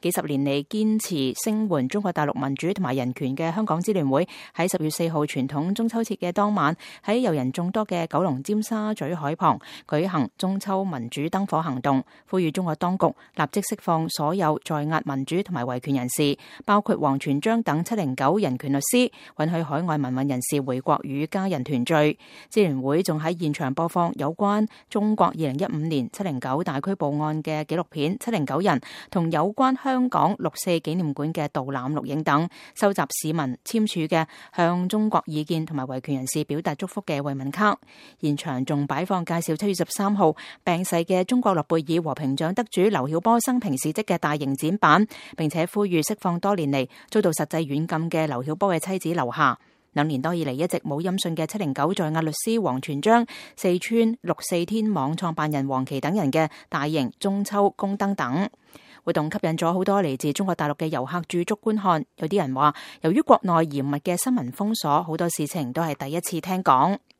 幾十年嚟堅持聲援中國大陸民主同埋人權嘅香港支聯會喺10月4號傳統中秋節嘅當晚，喺遊人眾多嘅九龍尖沙咀海旁舉行中秋民主燈火行動，呼籲中國當局立即釋放所有在押民主同埋維權人士，包括王全璋等709人權律師，允許海外民運人士回國與家人團聚。支聯會仲喺現場播放有關中國2015年709大拘捕案嘅紀錄片《709人》同有關香港6·4紀念館嘅導覽錄影等，收集市民簽署嘅向中國異見同埋維權人士表達祝福嘅慰問卡。現場仲擺放介紹7月13號病逝嘅中國諾貝爾和平獎得主劉曉波生平事蹟嘅大型展板，並且呼籲釋放多年嚟遭到實際軟禁嘅劉曉波嘅妻子劉霞。2年多以嚟一直冇音訊嘅709在押律師王全璋、四川6·4天網創辦人黃琦等人嘅大型中秋宮燈等活動，吸引咗好多嚟自中國大陸嘅遊客駐足觀看。有啲人話，由於國內嚴密嘅新聞封鎖，好多事情都係第一次聽講。